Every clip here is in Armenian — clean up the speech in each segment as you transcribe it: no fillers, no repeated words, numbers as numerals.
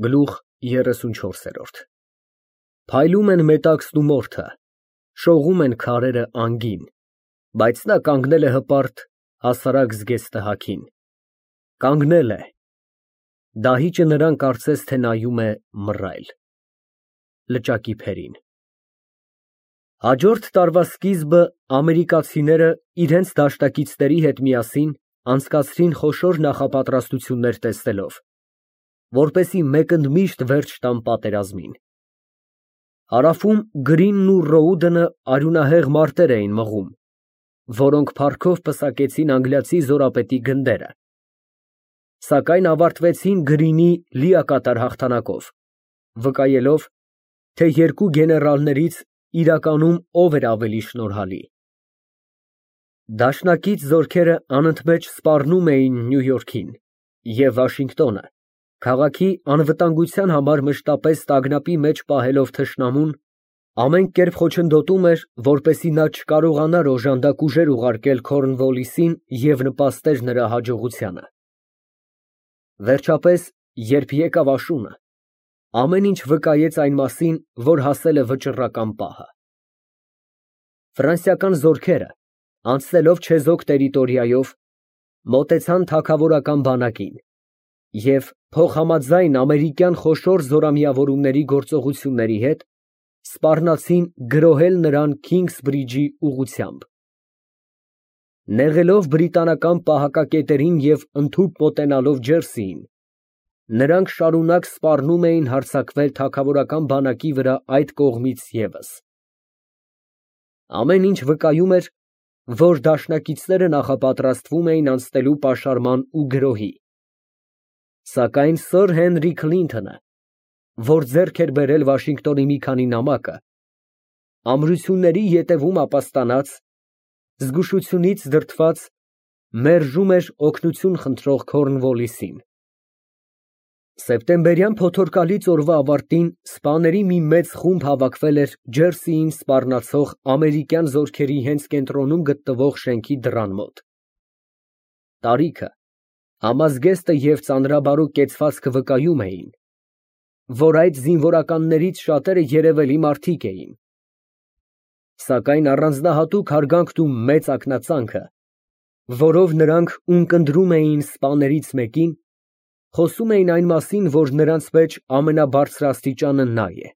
Գլուխ 34 Փայլում են մետաքսն ու մորթը, շողում են քարերը անգին, բայց նա կանգնել է հպարտ հասարակ զգեստը հագին, կանգնել է, դահիճը նրան կարծես թե նայում է մռայլ, լճակի փերին։ Հաջորդ տարվա սկիզբը ամերիկացիները իրենց դաշնակիցների հետ միասին անցկացրին խոշոր նախապատրաստություններ տեսնելով, որպեսզի մեկընդմիշտ վերջ տան պատերազմին։ Հարավում Գրինն ու Ռոուդենը արյունահեղ մարտեր էին մղում, որոնք փառքով պսակեցին անգլիացի զորապետի գնդերը, սակայն ավարտվեցին Գրինի լիակատար հաղթանակով, վկայելով, թե երկու գեներալներից իրականում ով էր ավելի շնորհալի։ Դաշնակից զորքերը անընդմեջ սպառնում էին Նյու Յորքին և Վաշինգտոնը, քաղաքի անվտանգության համար մշտապես տագնապի մեջ պահելով թշնամուն, ամեն կերպ խոչընդոտում էր, որպեսզի նա չկարողանար օժանդակ ուժեր ուղարկել Քորնվոլիսին և նպաստեր նրա հաջողությանը։ Վերջապես, երբ եկավ աշունը, ամեն ինչ վկայեց այն մասին, որ հասել է վճռական պահը։ Ֆրանսիական զորքերը, անցնելով չեզոք տերիտորիայով, մոտեցան թագավորական բանակին և փոխհամաձայն ամերիկյան խոշոր զորամիավորումների գործողությունների հետ, սպառնացին գրոհել նրան Քինգսբրիջի ուղղությամբ։ Նեղելով բրիտանական պահակակետերին և ընդհուպ մոտենալով Ջերսիին, նրանք շարունակ սպառնում էին հարձակվել թագավորական բանակի վրա այդ կողմից ևս։ Ամեն ինչ վկայում էր, որ դաշնակիցները նախապատրաստվում էին անցնելու պաշարման ու գրոհի, սակայն սըր Հենրի Քլինթոնը, որ ձեռք էր բերել Վաշինգտոնի մի քանի նամակը, ամրությունների ետևում ապաստանած, զգուշությունից դրդված, մերժում էր օգնություն խնդրող Քորնվոլիսին։ Սեպտեմբերյան փոթորկալից օրվա ավարտին սպաների մի մեծ խումբ հավաքվել էր Ջերսիին սպառնացող ամերիկյան զորքերի հենց կենտրոնում գտնվող շենքի դռան մոտ։ Տարիքը, համազգեստը և ծանրաբարո կեցվածքը վկայում էին, որ այդ զինվորականներից շատերը երևելի մարդիկ էին, սակայն առանձնահատուկ հարգանքն ու մեծ ակնածանքը, որով նրանք ունկնդրում էին սպաներից մեկին, խոսում էին այն մասին, որ նրանց մեջ ամենաբարձրաստիճանը նա է։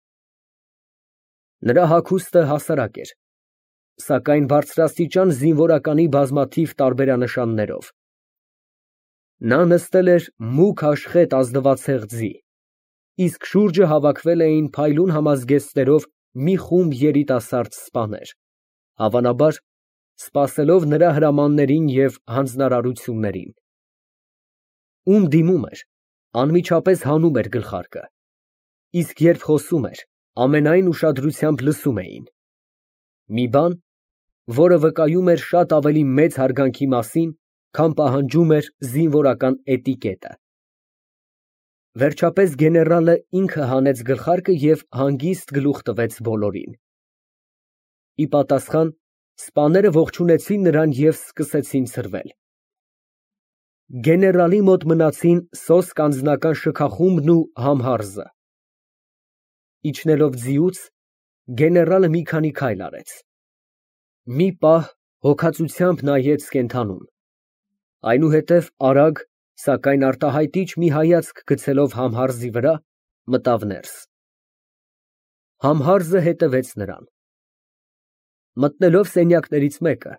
Նրա հագուստը հասարակ էր, սակայն բարձրաստիճան զինվորականի բազմաթիվ տարբերանշաններով։ Նա նստել էր մուգ աշխետ ազնվացեղ ձի, իսկ շուրջը հավաքվել էին փայլուն համազգեստներով մի խումբ երիտասարդ սպաներ, հավանաբար, սպասելով նրա հրամաններին և հանձնարարություններին։ Ում դիմում էր, անմիջապես հանում էր գլխարկը, իսկ երբ խոսում էր, ամենայն ուշադրությամբ լսում էին։ Մի բան, որը վկայում էր շատ ավելի մեծ հարգանքի մասին, քան պահանջում էր զինվորական էտիկետը։ Վերջապես գեներալը ինքը հանեց գլխարկը և հանգիստ գլուխ տվեց բոլորին։ Ի պատասխան, սպաները ողջունեցին նրան և սկսեցին ցրվել։ Գեներալի մոտ մնացին սոսկ անձնական շքախումբն ու համհարզը։ Իջնելով ձիուց, գեներալը մի քանի քայլ արեց։ Մի պահ հոգածությամբ նայեց կենդանուն, այնուհետև արագ, սակայն արտահայտիչ մի հայացք գցելով Համհարզի վրա, մտավ ներս։ Համհարզը հետևեց նրան։ Մտնելով սենյակներից մեկը,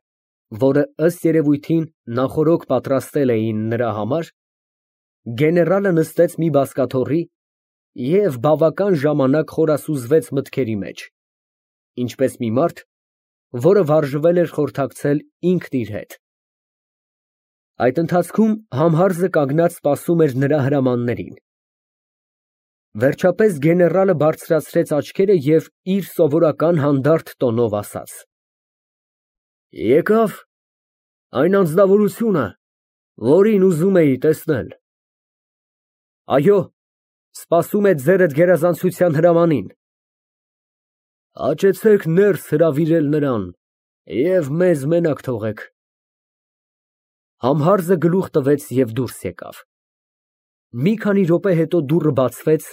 որը ըստ երևույթին նախօրոք պատրաստել էին նրա համար, գեներալը նստեց մի բազկաթոռի և բավական ժամանակ խորասուզվեց մտքերի մեջ, ինչպես մի մարդ, որը վարժվել էր խորհրդակցել ինքն իր հետ։ Այդ ընթացքում Համհարզը կանգնած սպասում էր նրա հրամաններին։ Վերջապես գեներալը բարձրացրեց աչքերը և իր սովորական հանդարտ տոնով ասաց. Եկա՞վ այն անձնավորությունը, որին ուզում էի տեսնել։ Այո, սպասում է ձերդ գերազանցության հրամանին։ Հաճեցեք ներս հրավիրել նրան և մեզ մենակ թողեք։ Համհարզը գլուխ տվեց և դուրս եկավ։ Մի քանի րոպե հետո դուռը բացվեց,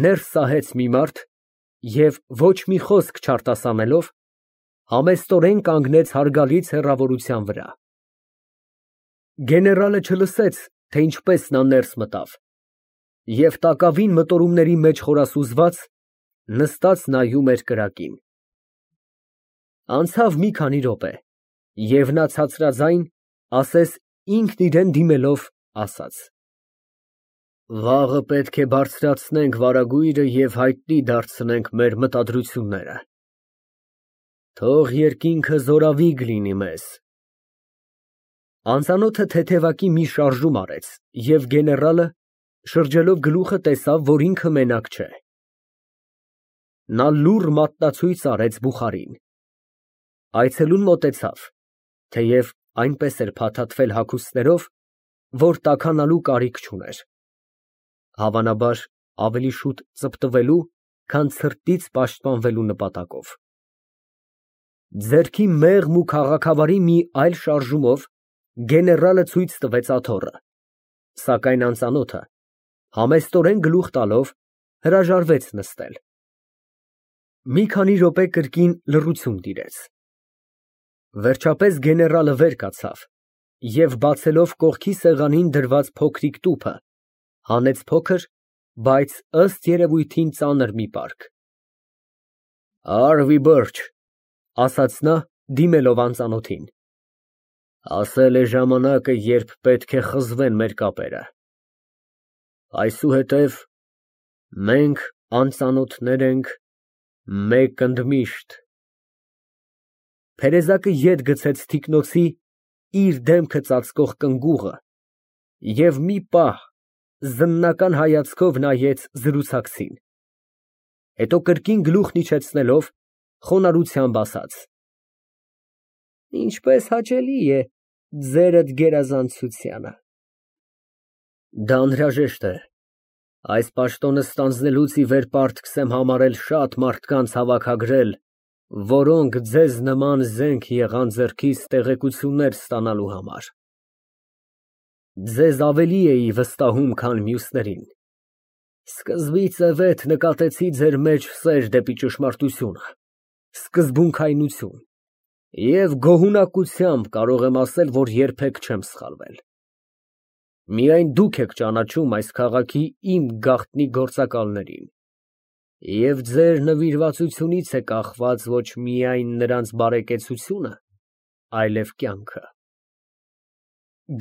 ներս սահեց մի մարդ և ոչ մի խոսք չարտասանելով, համեստորեն կանգնեց հարգալից հեռավորության վրա։ Գեներալը չլսեց, թե ինչպես նա ներս մտավ, և տակավին մտորումների մեջ խորասուզված, նստած նայում էր կրակին։ Անցավ մի քանի րոպե, և նա ցածրաձայն, ասես ինքն իրան դիմելով, ասաց. «Վաղը պետք է բարձրացնենք վարագույրը և հայտնի դարձնենք մեր մտադրությունները։ Թող երկինքը զորավիգ լինի մեզ»։ Անծանոթը թեթևակի մի շարժում արեց, և գեներալը, շրջելով գլուխը, տեսավ, որ ինքը մենակ չէ։ Նա լուռ մատնացույց արեց բուխարին։ Այցելուն մոտեցավ, թեև այնպես էր փաթաթվել հագուստներով, որ տաքանալու կարիք չուներ, հավանաբար ավելի շուտ ծպտվելու, քան ցրտից պաշտպանվելու նպատակով։ Ձեռքի մեղմ ու քաղաքավարի մի այլ շարժումով գեներալը ցույց տվեց աթոռը, սակայն անծանոթը, համեստորեն գլուխ տալով, հրաժարվեց նստել։ Մի քանի րոպե կրկին լռություն տիրեց։ Վերջապես գեներալը վեր կացավ և, բացելով կողքի սեղանին դրված փոքրիկ տուփը, հանեց փոքր, բայց ըստ երևույթին ծանր մի պարկ։ «Արվի բրջ», ասաց նա, դիմելով անծանոթին, ասել է ժամանակը, երբ պետք է խզվեն մեր կապերը։ Այսուհետև մենք անծանոթներ ենք, մեկ ընդմիշտ։ Փերեզակը ետ գցեց թիկնոցի իր դեմքը ծածկող կնգուղը և մի պահ զննական հայացքով նայեց զրուցակցին, հետո կրկին գլուխն իջեցնելով, խոնարհությամբ ասաց. «Ինչպես հաճելի է ձերդ գերազանցությանը»։ Դա անհրաժեշտ է։ Այս պաշտոնը ստանձնելուց ի վեր պարտքս եմ համարել շատ մարդկանց հավաքագրել, որոնք ձեզ նման զենք եղան ձեռքիս տեղեկություններ ստանալու համար։ Ձեզ ավելի էի վստահում, քան մյուսներին։ Սկզբից ի վեր նկատեցի ձեր մեջ սեր դեպի ճշմարտությունը, սկզբունքայնություն, և գոհունակությամբ կարող եմ ասել, որ երբեք չեմ սխալվել։ Միայն դուք եք ճանաչում այս քաղաքի իմ գաղտնի գործակալներին, և ձեր նվիրվածությունից է կախված ոչ միայն նրանց բարեկեցությունը, այլև կյանքը։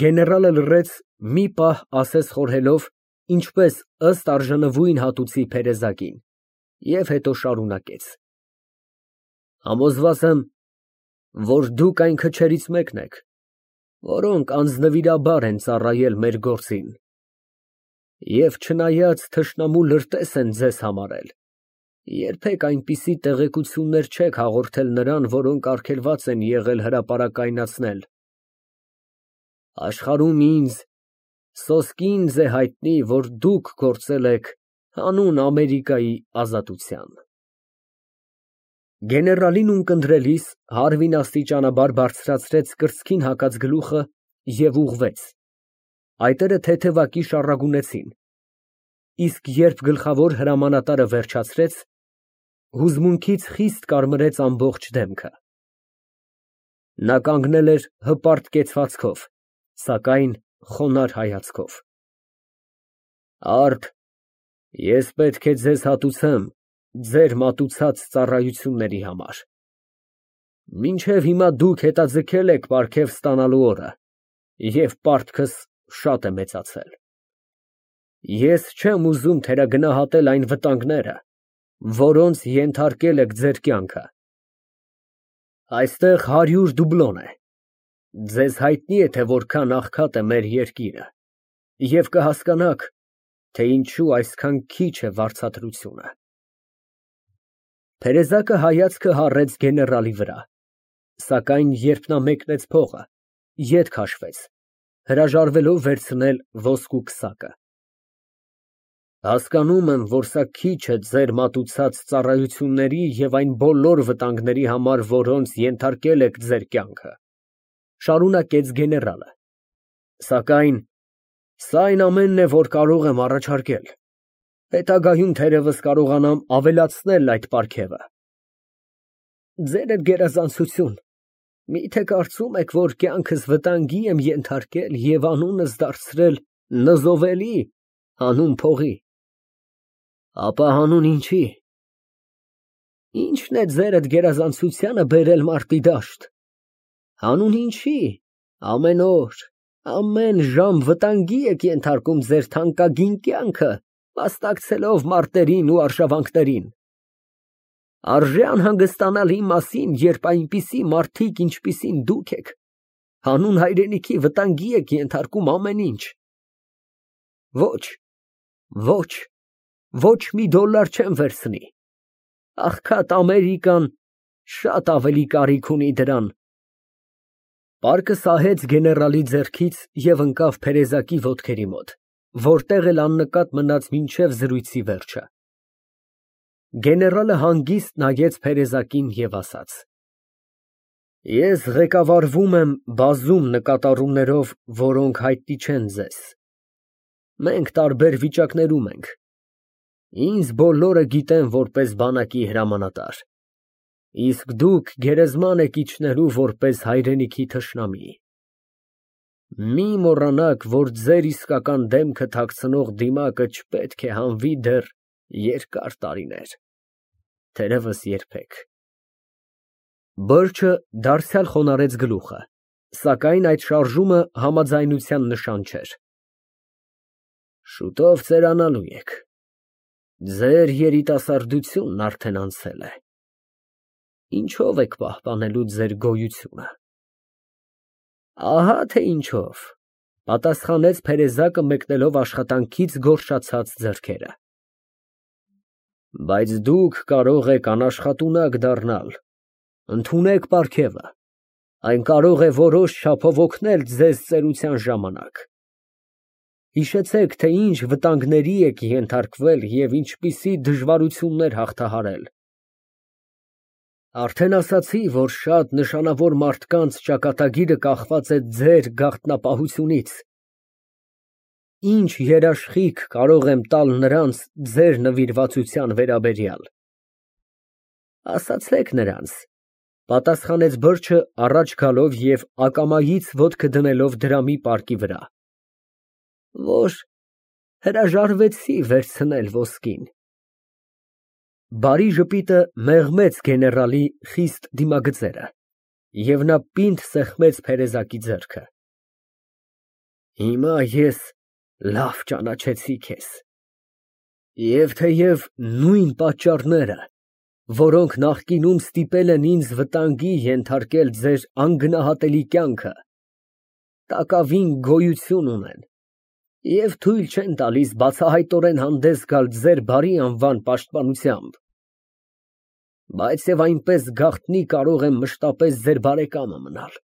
Գեներալը լռեց, մի պահ ասես խորհելով, ինչպես ըստ արժանվույն հատուցի փերեզակին, և հետո շարունակեց. Համոզված եմ, որ դուք այն քչերից մեկն եք, որոնք անձնվիրաբար են ծառայել մեր գործին, և չնայած թշնամու լրտես են ձեզ համարել, երբեք այնպիսի տեղեկություններ չեք հաղորդել նրան, որոնք արգելված են եղել հրապարակայնացնել։ Աշխարհում ինձ սոսկինձ է հայտնի, որ դուք գործել եք հանուն Ամերիկայի ազատության։ Գեներալին ունկնդրելիս Հարվին աստիճանաբար բարձրացրեց կրծքին հագած գլուխը և ուղղվեց։ Այտերը թեթևակի շառագունեցին, իսկ երբ գլխավոր հրամանատարը վերջացրեց, հուզմունքից խիստ կարմրեց ամբողջ դեմքը։ Նա կանգնել էր հպարտ կեցվածքով, սակայն խոնարհ հայացքով։ Արդ, ես պետք է ձեզ հատուցեմ ձեր մատուցած ծառայությունների համար։ Մինչև հիմա դուք հետաձգել եք պարգև ստանալու օրը, և պարտքս շատ է մեծացել։ Ես չեմ ուզում թերագնահատել այն վտանգները, որոնց ենթարկել եք ձեր կյանքը։ Այստեղ 100 դուբլոն է։ Ձեզ հայտնի է, թե որքան աղքատ է մեր երկիրը, և կհասկանաք, թե ինչու այսքան քիչ է վարձատրությունը։ Փերեզակը հայացքը հառեց գեներալի վրա, սակայն երբ նա մեկնեց փողը, ետ քաշվեց, հրաժարվելով վերցնել ոսկու քսակը։ Հասկանում եմ, որ սա քիչ է ձեր մատուցած ծառայությունների և այն բոլոր վտանգների համար, որոնց ենթարկել եք ձեր կյանքը, շարունակեց գեներալը, սակայն Սա այն ամենն է, որ կարող եմ առաջարկել։ Հետագայում թերևս կարողանամ ավելացնել այդ պարգևը։ Ձերդ գերազանցություն, միթե կարծում եք, որ կյանքս վտանգի եմ ենթարկել և անունս դարձրել նզովելի հանուն փողի։ Ապա հանուն ինչի։ Ի՞նչն է ձերդ գերազանցությանը բերել մարտի դաշտ։ Հանուն ինչի։ Ամեն օր, ամեն ժամ վտանգի եք ենթարկում ձեր թանկագին կյանքը, մասնակցելով մարտերին ու արշավանքներին։ Արժե անհանգստանալ իմ մասին, երբ այնպիսի մարդիկ, ինչպիսին դուք եք, հանուն հայրենիքի վտանգի եք ենթարկում ամեն ինչ։ Ոչ, ոչ, ոչ մի դոլար չեմ վերցնի։ Աղքատ Ամերիկան շատ ավելի կարիք ունի դրան։ Պարկը սահեց գեներալի ձեռքից և ընկավ փերեզակի ոտքերի մոտ, որտեղ էլ աննկատ մնաց մինչև զրույցի վերջը։ Գեներալը հանգիստ նայեց փերեզակին և ասաց. Ես ղեկավարվում եմ բազում նկատառումներով, որոնք հայտնի չեն ձեզ։ Մենք տարբեր վիճակներում ենք։ Ինձ բոլորը գիտեն որպես բանակի հրամանատար, իսկ դուք գերեզման եք իջնելու որպես հայրենիքի թշնամի։ Մի մոռանաք, որ ձեր իսկական դեմքը թաքցնող դիմակը չպետք է հանվի դեռ երկար տարիներ, թերևս երբեք։ Բըրչը դարձյալ խոնարհեց գլուխը, սակայն այդ շարժումը համաձայնության նշան չէր։ Շուտով ծերանալու եք։ Ձեր երիտասարդությունն արդեն անցել է։ Ինչով եք պահպանելու ձեր գոյությունը։ Ահա թե ինչով, պատասխանեց փերեզակը մեկնելով աշխատանքից գորշացած ձեռքերը։ Բայց դուք կարող եք անաշխատունակ դառնալ։ Ընդունեք պարգևը։ Այն կարող է որոշ չափով օգնել ձեզ ծերության ժամանակ։ Հիշեցեք, թե ինչ վտանգների եք ենթարկվել և ինչպիսի դժվարություններ հաղթահարել։ Արդեն ասացի, որ շատ նշանավոր մարդկանց ճակատագիրը կախված է ձեր գաղտնապահությունից։ Ինչ երաշխիք կարող եմ տալ նրանց ձեր նվիրվածության վերաբերյալ։ Ասացեք նրանց, պատասխանեց բրդը առաջ գալով և ակամայից ոտքը դնելով դրամի պարկի վրա, որ հրաժարվեցի վերցնել ոսկին։ Բարի ժպիտը մեղմեց գեներալի խիստ դիմագծերը, և նա պինդ սեղմեց փերեզակի ձեռքը։ Հիմա ես լավ ճանաչեցի քեզ։ Եվ թեև նույն պատճառները, որոնք նախկինում ստիպել են ինձ վտանգի ենթարկել ձեր անգնահատելի կյանքը, տակավին գոյություն ունեն և թույլ չեն տալիս բացահայտորեն հանդես գալ ձեր բարի անվան պաշտպանությամբ, բայց և այնպես գաղտնի կարող եմ մշտապես ձեր բարեկամը մնալ։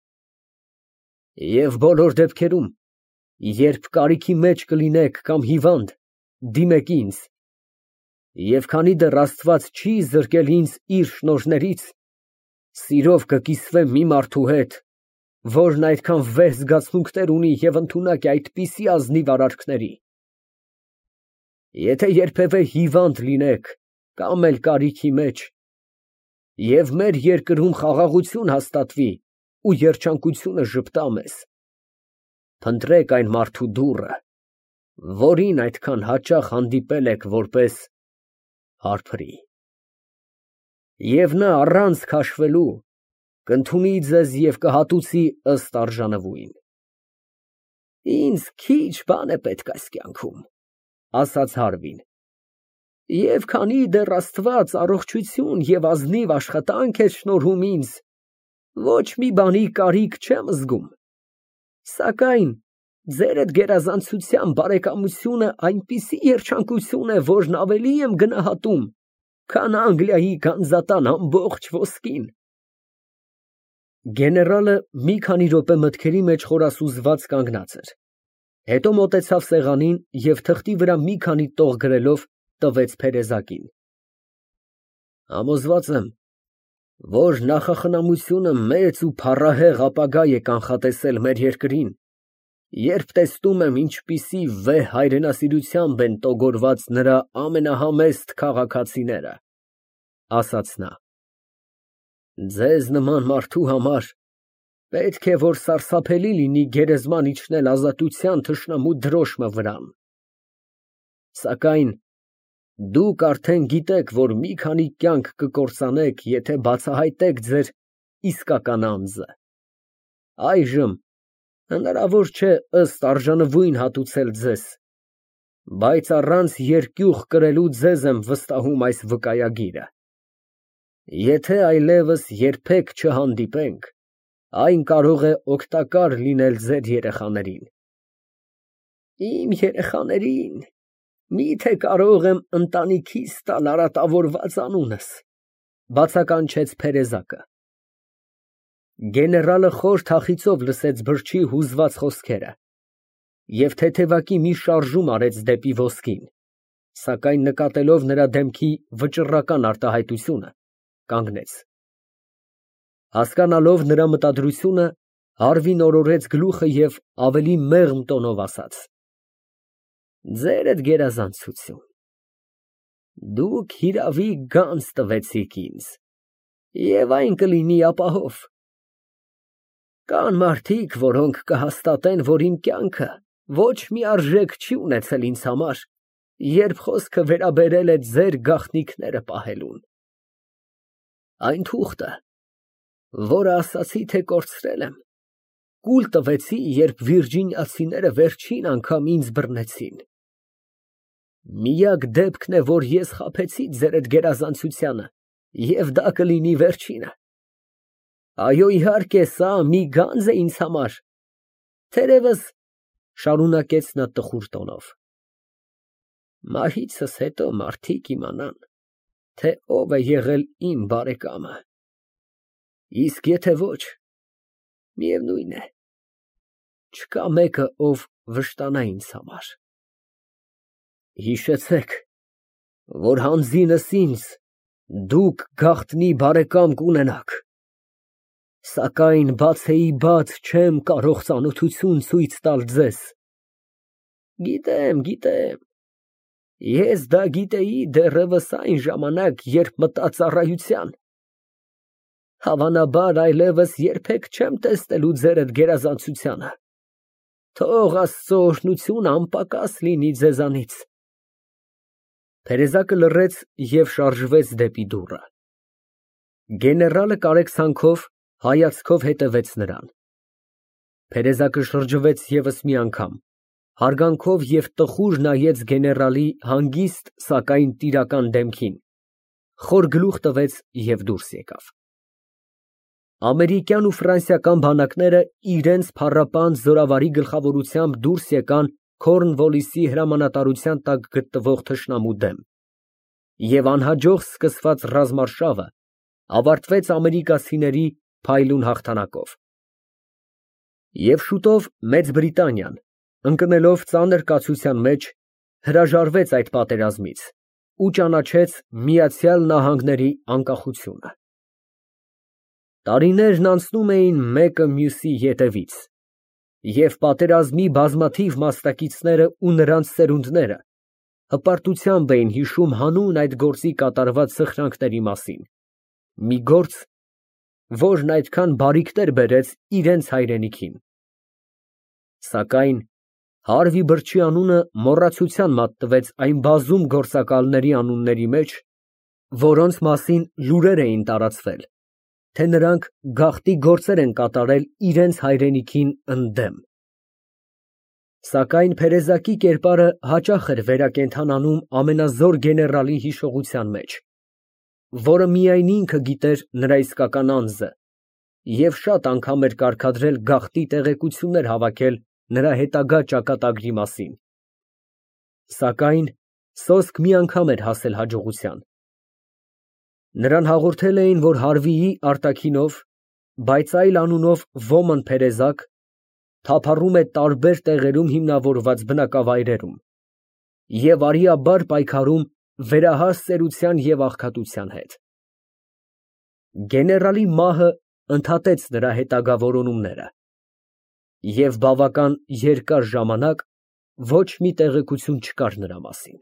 Եվ բոլոր դեպքերում, երբ կարիքի մեջ կլինեք կամ հիվանդ, դիմեք ինձ, և քանի դեռ Աստված չի զրկել ինձ իր շնորհներից, սիրով կկիսվեմ մի մարդու հետ, որն այդքան վեհ զգացմունքներ ունի և ընդունակ է այդպիսի ազնիվ արարքների։ Եթե երբևէ հիվանդ լինեք կամ էլ կարիքի մեջ, և մեր երկրում խաղաղություն հաստատվի ու երջանկությունը ժպտա մեզ, փնտրեք այն մարդու դուռը, որին այդքան հաճախ հանդիպել եք որպես հարբրի, և նա առանց քաշվելու կընդունի ձեզ և կհատուցի ըստ արժանվույն։ Ինձ քիչ բան է պետք այս կյանքում, ասաց Հարվին, և քանի դեռ Աստված առողջություն և ազնիվ աշխատանք է շնորհում ինձ, ոչ մի բանի կարիք չեմ զգում, սակայն ձերդ գերազանցության բարեկամությունը այնպիսի երջանկություն է, որն ավելի եմ գնահատում, քան Անգլիայի գանձատան ամբողջ ոսկին։ Գեներալը մի քանի րոպե մտքերի մեջ խորասուզված կանգնած էր, հետո մոտեցավ սեղանին և թղթի վրա մի քանի տող գրելով տվեց փերեզակին։ Համոզված եմ, որ նախախնամությունը մեծ ու փառահեղ ապագա է կանխատեսել մեր երկրին Երբ տեսնում եմ, ինչպիսի վեհ հայրենասիրությամբ են տոգորված նրա ամենահամեստ քաղաքացիները, ասաց նա, ձեզ նման մարդու համար պետք է, որ սարսափելի լինի գերեզման իջնել ազատության թշնամու դրոշմը վրան։ Սակայն դուք արդեն գիտեք, որ մի քանի կյանք կկործանեք, եթե բացահայտեք ձեր իսկական անձը։ Այժմ հնարավոր չէ ըստ արժանվույն հատուցել ձեզ, բայց առանց երկյուղ կրելու ձեզ եմ վստահում այս վկայագիրը։ Եթե այլևս երբեք չհանդիպենք, այն կարող է օգտակար լինել ձեր երեխաներին։ Իմ երեխաներին, միթե կարող եմ ընտանիքիս տալ արատավորված անունս, բացականչեց Փերեզակը։ Գեներալը խոր թախիծով լսեց բրջի հուզված խոսքերը և թեթևակի մի շարժում արեց դեպի ոսկին, սակայն նկատելով նրա դեմքի վճռական արտահայտությունը, կանգնեց։ Հասկանալով նրա մտադրությունը, Հարվին օրորեց գլուխը և ավելի մեղմ տոնով ասաց. Ձերդ գերազանցություն, դուք հիրավի գանձ տվեցիք ինձ, և այն կլինի ապահով։ Կան մարդիկ, որոնք կհաստատեն, որ իմ կյանքը ոչ մի արժեք չի ունեցել ինձ համար, երբ խոսքը վերաբերել է ձեր գաղտնիքները պահելուն։ Այն թուղթը, որը ասացի, թե կորցրել եմ, կուլ տվեցի, երբ վիրջինիացիները վերջին անգամ ինձ բռնեցին։ Միակ դեպքն է, որ ես խաբեցի ձերդ գերազանցությանը, և դա կլինի վերջինը։ Այո, իհարկե, սա մի գանձ է ինձ համար, թերևս, շարունակեց նա տխուր տոնով, մահիցս հետո մարդիկ իմանան, թե ով է եղել իմ բարեկամը, իսկ եթե ոչ, միևնույն է, չկա մեկը, ով վշտանա ինձ համար։ Հիշեցեք, որ հանձինս ինձ դուք գաղտնի բարեկամ կունենաք, սակայն բացեիբաց չեմ կարող ծանոթություն ցույց տալ ձեզ։ Գիտեմ, ես դա գիտեի դեռևս այն ժամանակ, երբ մտա ծառայության։ Հավանաբար այլևս երբեք չեմ տեսնելու ձերդ գերազանցությանը։ Թող Աստծո օրհնությունը անպակաս լինի ձեզանից։ Թերեզակը լռեց և շարժվեց դեպի դուռը։ Գեներալը կարեկցանքով հայացքով հետևեց նրան։ Փերեզակը շրջվեց ևս մի անգամ, հարգանքով և տխուր նայեց գեներալի հանգիստ, սակայն տիրական դեմքին, խոր գլուխ տվեց և դուրս եկավ։ Ամերիկյան ու ֆրանսիական բանակները իրենց փառապան զորավարի գլխավորությամբ դուրս եկան Քորնվոլիսի հրամանատարության տակ գտնվող թշնամու դեմ, և անհաջող սկսված ռազմարշավը ավարտվեց ամերիկացիների փայլուն հաղթանակով։ Եվ շուտով Մեծ Բրիտանիան, ընկնելով ծանր կացության մեջ, հրաժարվեց այդ պատերազմից ու ճանաչեց Միացյալ Նահանգների անկախությունը։ Տարիներն անցնում էին մեկը մյուսի ետևից, և պատերազմի բազմաթիվ մասնակիցները ու նրանց սերունդները հպարտությամբ էին հիշում հանուն այդ գործի կատարված սխրանքների մասին, մի գործ, որն այդքան բարիքներ բերեց իրենց հայրենիքին։ Սակայն Հարվի Բրջի անունը մոռացության մատնվեց այն բազում գործակալների անունների մեջ, որոնց մասին լուրեր էին տարածվել, թե նրանք գաղտնի գործեր են կատարել իրենց հայրենիքին ընդդեմ։ Սակայն Փերեզակի կերպարը հաճախ էր վերակենդանանում ամենազոր գեներալի հիշողության մեջ, որը միայն ինքը գիտեր նրա իսկական անձը, և շատ անգամ էր կարգադրել գաղտնի տեղեկություններ հավաքել նրա հետագա ճակատագրի մասին։ Սակայն սոսկ մի անգամ էր հասել հաջողության։ Նրան հաղորդել էին, որ Հարվիի արտաքինով, բայց այլ անունով Ոմն Փերեզակ թափառում է տարբեր տեղերում հիմնավորված բնակավայրերում և արիաբար պայքարում վերահաս ծերության և աղքատության հետ։ Գեներալի մահը ընդհատեց նրա հետագա որոնումները, Եվ բավական երկար ժամանակ ոչ մի տեղեկություն չկար նրա մասին։